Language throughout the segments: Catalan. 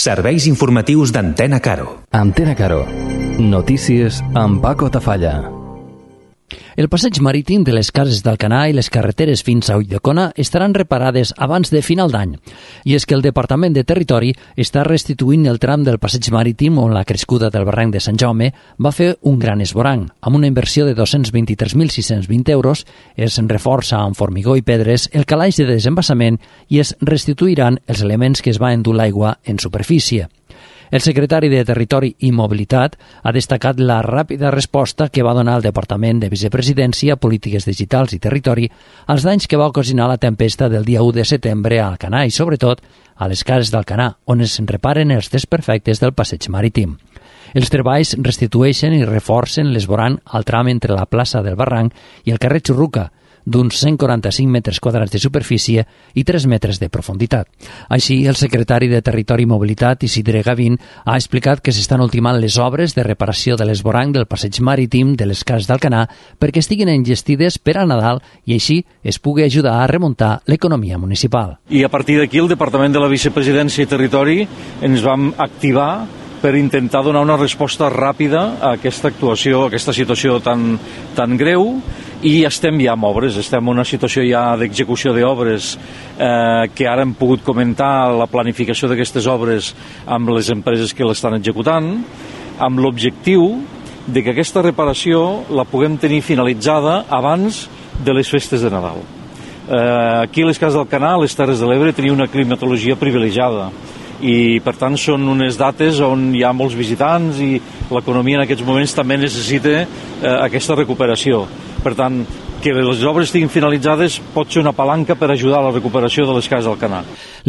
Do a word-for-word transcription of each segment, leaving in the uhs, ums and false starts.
Serveis informatius d'Antena Caro. Antena Caro. Notícies amb Paco Tafalla. El passeig marítim de les cases d'Alcanar i les carreteres fins a Ulldecona estaran reparades abans de final d'any. I és que el Departament de Territori està restituint el tram del passeig marítim on la crescuda del barranc de Sant Jaume va fer un gran esvoranc. Amb una inversió de dos-cents vint-i-tres mil sis-cents vint euros es reforça amb formigó i pedres el calaix de desembassament i es restituiran els elements que es va endur l'aigua en superfície. El secretari de Territori i Mobilitat ha destacat la ràpida resposta que va donar el Departament de Vicepresidència, Polítiques Digitals i Territori als danys que va ocasionar la tempesta del dia u de setembre a Alcanar i, sobretot, a les cases d'Alcanar, on es reparen els desperfectes del passeig marítim. Els treballs restitueixen i reforcen l'esvoranc al tram entre la plaça del Barranc i el carrer Xurruca, d'uns cent quaranta-cinc metres quadrats de superfície i tres metres de profunditat. Així, el secretari de Territori i Mobilitat, Isidre Gavín, ha explicat que s'estan ultimant les obres de reparació de l'esvoranc del passeig marítim de les cases d'Alcanar perquè estiguin enllestides per a Nadal i així es pugui ajudar a remuntar l'economia municipal. I a partir d'aquí el Departament de la Vicepresidència i Territori ens vam activar per intentar donar una resposta ràpida a aquesta actuació, a aquesta situació tan, tan greu, i estem ja amb obres, estem en una situació ja d'execució d'obres eh, que ara hem pogut comentar la planificació d'aquestes obres amb les empreses que l'estan executant, amb l'objectiu de que aquesta reparació la puguem tenir finalitzada abans de les festes de Nadal. Eh, aquí a les cases d'Alcanar, a les Terres de l'Ebre, tenia una climatologia privilegiada i per tant són unes dates on hi ha molts visitants i l'economia en aquests moments també necessita eh, aquesta recuperació. Per tant, que les obres estiguin finalitzades pot ser una palanca per ajudar a la recuperació de les cases d'Alcanar.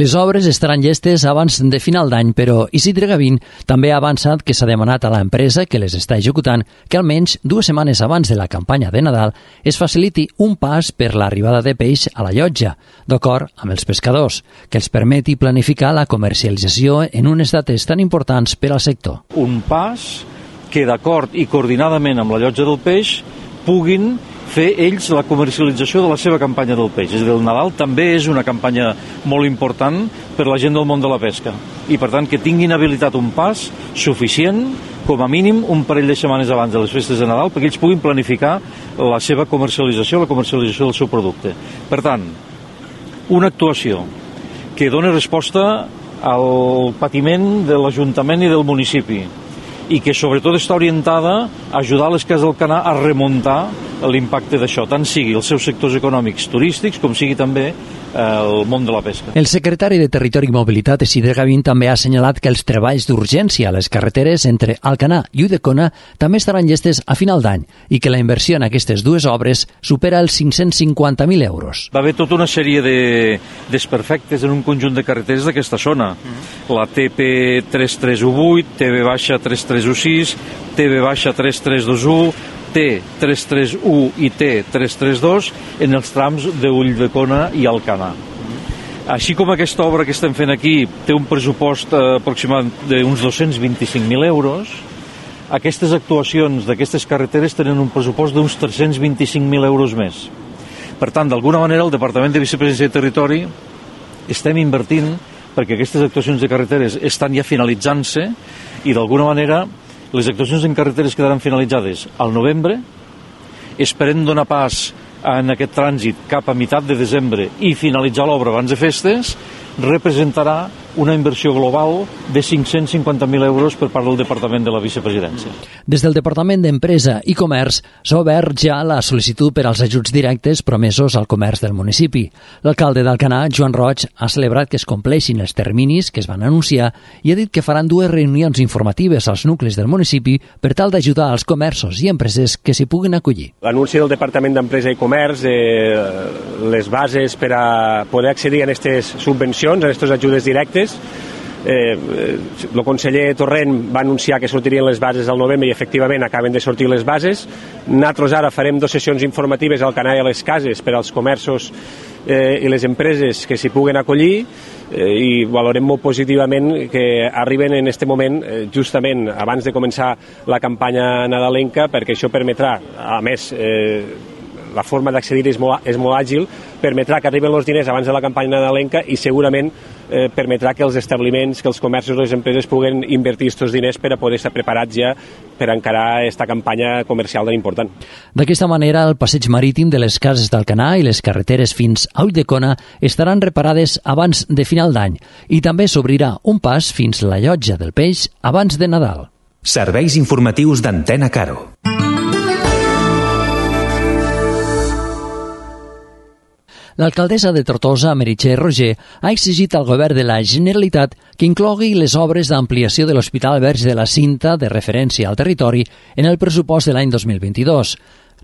Les obres estaran llestes abans de final d'any, però Isidre Gavín també ha avançat que s'ha demanat a l'empresa que les està executant que almenys dues setmanes abans de la campanya de Nadal es faciliti un pas per l'arribada de peix a la llotja, d'acord amb els pescadors, que els permeti planificar la comercialització en unes dates tan importants per al sector. Un pas que d'acord i coordinadament amb la llotja del peix puguin fer ells la comercialització de la seva campanya del peix. És a dir, el Nadal també és una campanya molt important per la gent del món de la pesca. I, per tant, que tinguin habilitat un pas suficient, com a mínim, un parell de setmanes abans de les festes de Nadal, perquè ells puguin planificar la seva comercialització, la comercialització del seu producte. Per tant, una actuació que doni resposta al patiment de l'Ajuntament i del municipi, i que sobretot està orientada a ajudar les cases d'Alcanar a remuntar l'impacte d'això, tant sigui els seus sectors econòmics turístics com sigui també el món de la pesca. El secretari de Territori i Mobilitat, Isidre Gavín, també ha assenyalat que els treballs d'urgència a les carreteres entre Alcanar i Ulldecona també estaran llestes a final d'any i que la inversió en aquestes dues obres supera els cinc-cents cinquanta mil euros. Va haver tota una sèrie de desperfectes en un conjunt de carreteres d'aquesta zona. La T P tres tres u vuit, T B tres tres u sis, T B tres tres dos u, T tres tres u i T tres tres dos en els trams d'Ulldecona i Alcanar. Així com aquesta obra que estem fent aquí té un pressupost eh, aproximat d'uns dos-cents vint-i-cinc mil euros, aquestes actuacions d'aquestes carreteres tenen un pressupost d'uns tres-cents vint-i-cinc mil euros més. Per tant, d'alguna manera, el Departament de Vicepresidència i Territori estem invertint perquè aquestes actuacions de carreteres estan ja finalitzant-se i d'alguna manera les actuacions en carreteres quedaran finalitzades al novembre. Esperem donar pas en aquest trànsit cap a meitat de desembre i finalitzar l'obra abans de festes. Representarà una inversió global de cinc-cents cinquanta mil euros per part del Departament de la Vicepresidència. Des del Departament d'Empresa i Comerç s'ha obert ja la sol·licitud per als ajuts directes promesos al comerç del municipi. L'alcalde d'Alcanar, Joan Roig, ha celebrat que es compleixin els terminis que es van anunciar i ha dit que faran dues reunions informatives als nuclis del municipi per tal d'ajudar als comerços i empreses que s'hi puguin acollir. L'anunci del Departament d'Empresa i Comerç, eh, les bases per a poder accedir a aquestes subvencions, a aquestes ajudes directes. Eh, el conseller Torrent va anunciar que sortirien les bases al novembre i efectivament acaben de sortir les bases. Nosaltres ara farem dues sessions informatives al Canal i a les cases per als comerços eh, i les empreses que s'hi puguen acollir eh, i valorem molt positivament que arriben en aquest moment eh, justament abans de començar la campanya nadalenca, perquè això permetrà, a més, eh, la forma d'accedir és molt, és molt àgil, permetrà que arriben els diners abans de la campanya nadalenca i segurament eh, permetrà que els establiments, que els comerços, les empreses puguen invertir aquests diners per a poder estar preparats ja per encarar aquesta campanya comercial tan important. D'aquesta manera, el passeig marítim de les Cases d'Alcanar i les carreteres fins a Ulldecona estaran reparades abans de final d'any i també s'obrirà un pas fins a la Llotja del Peix abans de Nadal. Serveis informatius d'Antena Caro. L'alcaldessa de Tortosa, Meritxell Roger, ha exigit al govern de la Generalitat que inclogui les obres d'ampliació de l'Hospital Verge de la Cinta de referència al territori en el pressupost de l'any dos mil vint-i-dos.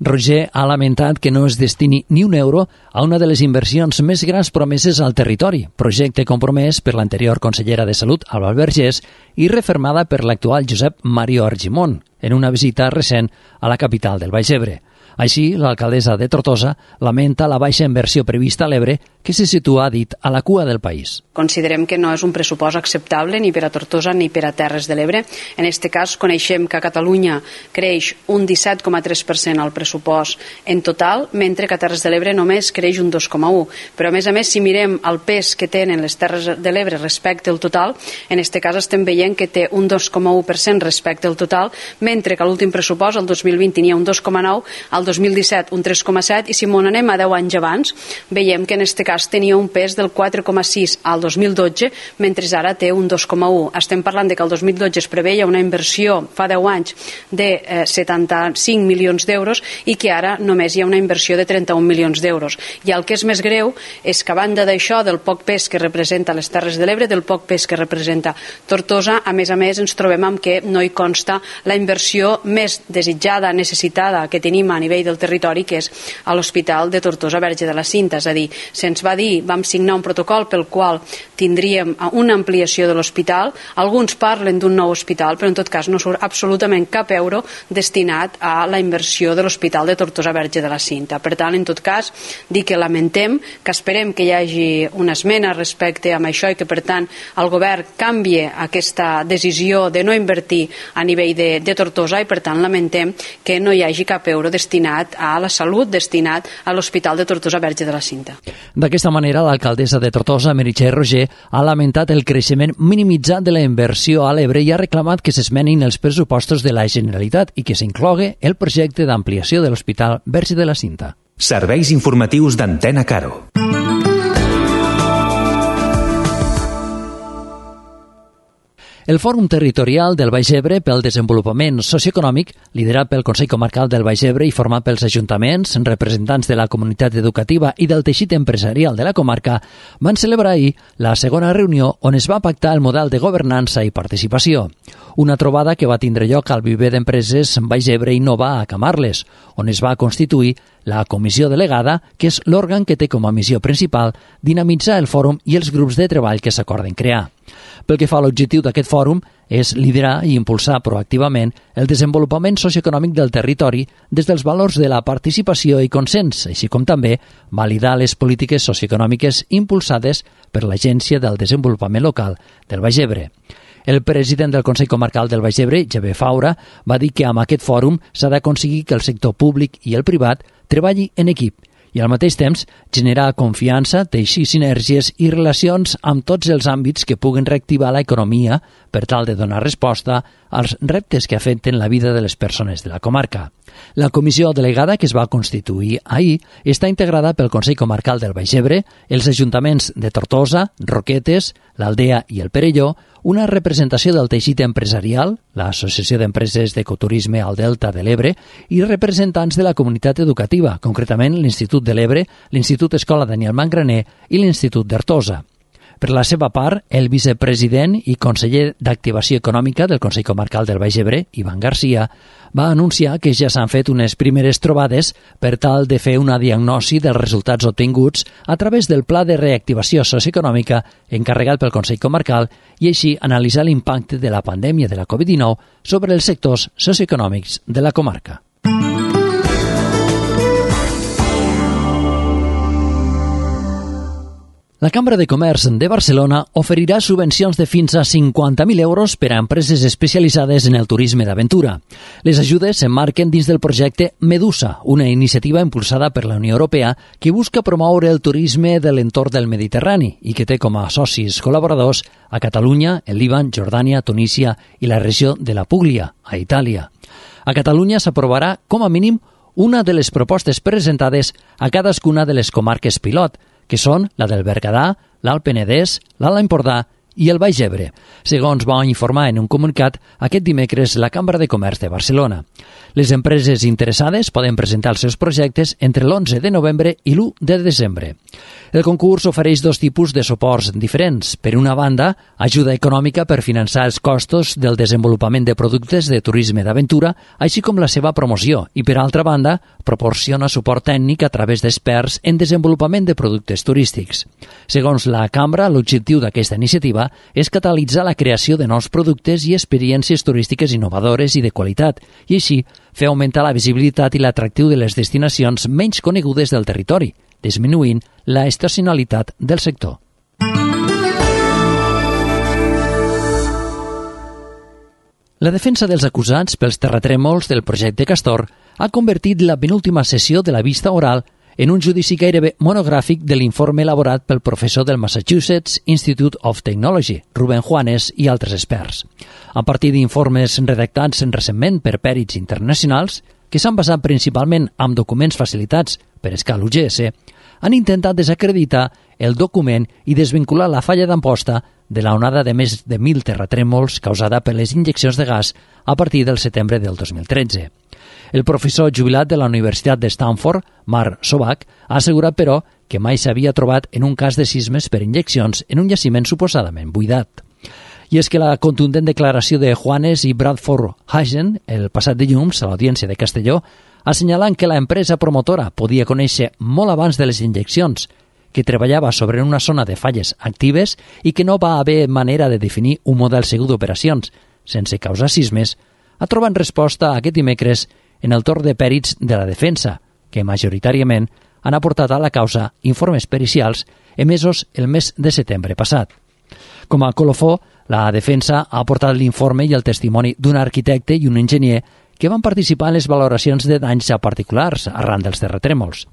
Roger ha lamentat que no es destini ni un euro a una de les inversions més grans promeses al territori, projecte compromès per l'anterior consellera de Salut, Alba Vergés, i refermada per l'actual Josep Mario Argimon, en una visita recent a la capital del Baix Ebre. Així, l'alcaldessa de Tortosa lamenta la baixa inversió prevista a l'Ebre, que se situa, ha dit, a la cua del país. Considerem que no és un pressupost acceptable ni per a Tortosa ni per a Terres de l'Ebre. En aquest cas, coneixem que a Catalunya creix un disset coma tres per cent al pressupost en total, mentre que a Terres de l'Ebre només creix un dos coma u. Però, a més a més, si mirem el pes que tenen les Terres de l'Ebre respecte al total, en aquest cas estem veient que té un dos coma u per cent respecte al total, mentre que a l'últim pressupost, el dos mil vint, n'hi ha un dos coma nou, al dos mil disset un tres coma set, i si m'ho anem a deu anys abans, veiem que en aquest cas tenia un pes del quatre coma sis al dos mil dotze, mentre ara té un dos coma u. Estem parlant de que el dos mil dotze es preveia una inversió, fa deu anys, de eh, setanta-cinc milions d'euros i que ara només hi ha una inversió de trenta-un milions d'euros. I el que és més greu és que a banda d'això, del poc pes que representa les Terres de l'Ebre, del poc pes que representa Tortosa, a més a més ens trobem amb que no hi consta la inversió més desitjada, necessitada que tenim a nivell del territori, que és a l'Hospital de Tortosa Verge de la Cinta. És a dir, se'ns va dir, vam signar un protocol pel qual tindríem una ampliació de l'hospital. Alguns parlen d'un nou hospital, però en tot cas no surt absolutament cap euro destinat a la inversió de l'Hospital de Tortosa Verge de la Cinta. Per tant, en tot cas, dic que lamentem, que esperem que hi hagi una esmena respecte a això i que, per tant, el govern canvie aquesta decisió de no invertir a nivell de, de Tortosa i, per tant, lamentem que no hi hagi cap euro destinat a la salut, destinat a l'Hospital de Tortosa Verge de la Cinta. D'aquesta manera, l'alcaldessa de Tortosa, Meritxell Roger, ha lamentat el creixement minimitzat de la inversió a l'Ebre i ha reclamat que s'esmenin els pressupostos de la Generalitat i que s'inclogui el projecte d'ampliació de l'Hospital Verge de la Cinta. Serveis informatius d'Antena Caro. El Fòrum Territorial del Baix Ebre pel Desenvolupament Socioeconòmic, liderat pel Consell Comarcal del Baix Ebre i format pels ajuntaments, representants de la comunitat educativa i del teixit empresarial de la comarca, van celebrar ahir la segona reunió on es va pactar el model de governança i participació. Una trobada que va tindre lloc al viver d'empreses Baix Ebre Innova a Camarles, on es va constituir la comissió delegada, que és l'òrgan que té com a missió principal dinamitzar el fòrum i els grups de treball que s'acorden crear. Pel que fa a l'objectiu d'aquest fòrum és liderar i impulsar proactivament el desenvolupament socioeconòmic del territori des dels valors de la participació i consens, així com també validar les polítiques socioeconòmiques impulsades per l'Agència del Desenvolupament Local del Baix Ebre. El president del Consell Comarcal del Baix Ebre, Xavier Faura, va dir que amb aquest fòrum s'ha d'aconseguir que el sector públic i el privat treballi en equip i al mateix temps generar confiança, teixir sinergies i relacions amb tots els àmbits que puguen reactivar l'economia per tal de donar resposta als reptes que afecten la vida de les persones de la comarca. La comissió delegada que es va constituir ahir està integrada pel Consell Comarcal del Baix Ebre, els ajuntaments de Tortosa, Roquetes, l'Aldea i el Perelló, una representació del teixit empresarial, l'Associació d'Empreses d'Ecoturisme al Delta de l'Ebre, i representants de la comunitat educativa, concretament l'Institut de l'Ebre, l'Institut Escola Daniel Mangraner i l'Institut d'Artosa. Per la seva part, el vicepresident i conseller d'Activació Econòmica del Consell Comarcal del Baix Ebre, Ivan Garcia, va anunciar que ja s'han fet unes primeres trobades per tal de fer una diagnosi dels resultats obtinguts a través del Pla de Reactivació Socioeconòmica encarregat pel Consell Comarcal i així analitzar l'impacte de la pandèmia de la covid dinou sobre els sectors socioeconòmics de la comarca. La Cambra de Comerç de Barcelona oferirà subvencions de fins a cinquanta mil euros per a empreses especialitzades en el turisme d'aventura. Les ajudes s'emmarquen dins del projecte Medusa, una iniciativa impulsada per la Unió Europea que busca promoure el turisme de l'entorn del Mediterrani i que té com a socis col·laboradors a Catalunya, el Líban, Jordània, Tunísia i la regió de la Puglia, a Itàlia. A Catalunya s'aprovarà, com a mínim, una de les propostes presentades a cadascuna de les comarques pilot, que són la del Berguedà, l'Alt Penedès, l'Alt Empordà i el Baix Ebre, segons va informar en un comunicat aquest dimecres la Cambra de Comerç de Barcelona. Les empreses interessades poden presentar els seus projectes entre l'onze de novembre i l'u de desembre. El concurs ofereix dos tipus de suports diferents. Per una banda, ajuda econòmica per finançar els costos del desenvolupament de productes de turisme d'aventura, així com la seva promoció, i per altra banda, proporciona suport tècnic a través d'experts en desenvolupament de productes turístics. Segons la Cambra, l'objectiu d'aquesta iniciativa és catalitzar la creació de nous productes i experiències turístiques innovadores i de qualitat, i així fer augmentar la visibilitat i l'atractiu de les destinacions menys conegudes del territori, disminuint la estacionalitat del sector. La defensa dels acusats pels terratrèmols del projecte Castor ha convertit la penúltima sessió de la vista oral en un judici gairebé monogràfic de l'informe elaborat pel professor del Massachusetts Institute of Technology, Rubén Juanes, i altres experts. A partir d'informes redactats recentment per pèrits internacionals, que s'han basat principalment en documents facilitats per escala U G S, han intentat desacreditar el document i desvincular la falla d'Amposta de la onada de més de mil terratrèmols causada per les injeccions de gas a partir del setembre del dos mil tretze. El professor jubilat de la Universitat de Stanford, Mark Sobach, ha assegurat, però, que mai s'havia trobat en un cas de sismes per injeccions en un jaciment suposadament buidat. I és que la contundent declaració de Juanes i Bradford Hagen, el passat dilluns a l'Audiència de Castelló, assenyalant que la empresa promotora podia conèixer molt abans de les injeccions, que treballava sobre una zona de falles actives i que no va haver manera de definir un model segur d'operacions sense causar sismes, ha trobat resposta aquest dimecres en el torn de pèrits de la defensa, que majoritàriament han aportat a la causa informes pericials emesos el mes de setembre passat. Com a colofó, la defensa ha aportat l'informe i el testimoni d'un arquitecte i un enginyer que van participar en les valoracions de danys a particulars arran dels terratrèmols.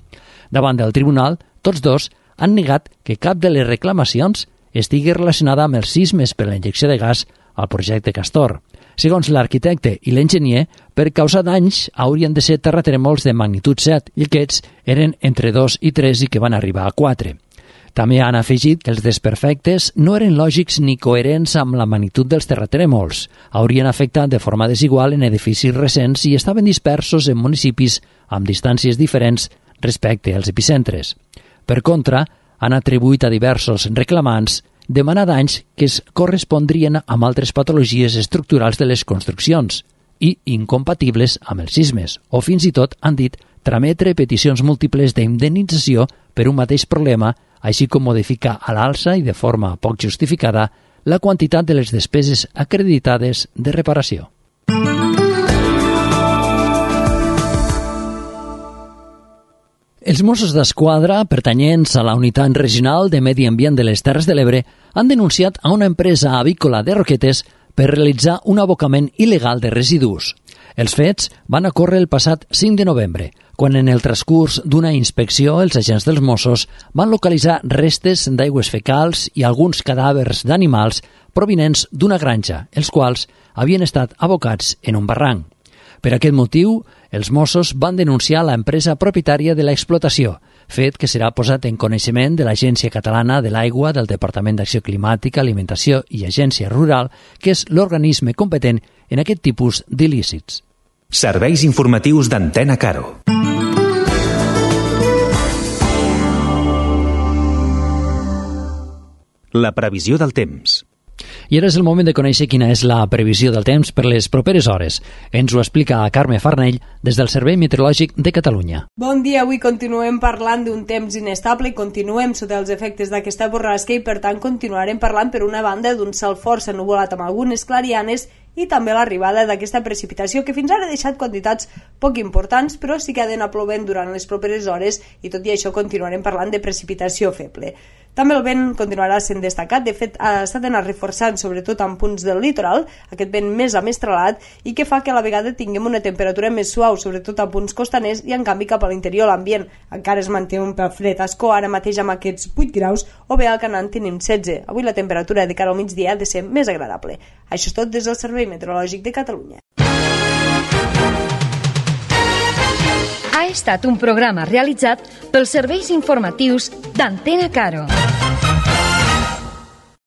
Davant del tribunal, tots dos han negat que cap de les reclamacions estigui relacionada amb els sismes per la injecció de gas al projecte Castor. Segons l'arquitecte i l'enginyer, per causar danys haurien de ser terratrèmols de magnitud set i aquests eren entre dos i tres i que van arribar a quatre. També han afegit que els desperfectes no eren lògics ni coherents amb la magnitud dels terratrèmols. Haurien afectat de forma desigual en edificis recents i estaven dispersos en municipis amb distàncies diferents respecte als epicentres. Per contra, han atribuït a diversos reclamants demanar danys que es correspondrien amb altres patologies estructurals de les construccions i incompatibles amb els sismes, o fins i tot, han dit, trametre peticions múltiples d'indemnització per un mateix problema, així com modificar a l'alça i de forma poc justificada la quantitat de les despeses acreditades de reparació. Els Mossos d'Esquadra, pertanyents a la Unitat Regional de Medi Ambient de les Terres de l'Ebre, han denunciat a una empresa avícola de Roquetes per realitzar un abocament il·legal de residus. Els fets van ocórrer el passat cinc de novembre, quan en el transcurs d'una inspecció els agents dels Mossos van localitzar restes d'aigües fecals i alguns cadàvers d'animals provinents d'una granja, els quals havien estat abocats en un barranc. Per aquest motiu, els Mossos van denunciar la empresa propietària de l'explotació, fet que serà posat en coneixement de l'Agència Catalana de l'Aigua, del Departament d'Acció Climàtica, Alimentació i Agència Rural, que és l'organisme competent en aquest tipus d'il·lícits. Serveis informatius d'Antena Caro. La previsió del temps. I ara és el moment de conèixer quina és la previsió del temps per les properes hores. Ens ho explica Carme Farnell des del Servei Meteorològic de Catalunya. Bon dia, avui continuem parlant d'un temps inestable i continuem sota els efectes d'aquesta borrasca i per tant continuarem parlant per una banda d'un cel força nuvolat amb algunes clarianes i també l'arribada d'aquesta precipitació que fins ara ha deixat quantitats poc importants però sí que ha d'anar plovent durant les properes hores i tot i això continuarem parlant de precipitació feble. També el vent continuarà sent destacat, de fet s'ha d'anar reforçant sobretot en punts del litoral, aquest vent més amestrelat i que fa que a la vegada tinguem una temperatura més suau, sobretot a punts costaners, i en canvi cap a l'interior l'ambient encara es manté un pèl fred. A Ascó ara mateix amb aquests vuit graus o bé al Canà tenim setze. Avui la temperatura de cara al migdia ha de ser més agradable. Això és tot des del Servei Meteorològic de Catalunya. Ha estat un programa realitzat pels serveis informatius d'Antena Caro.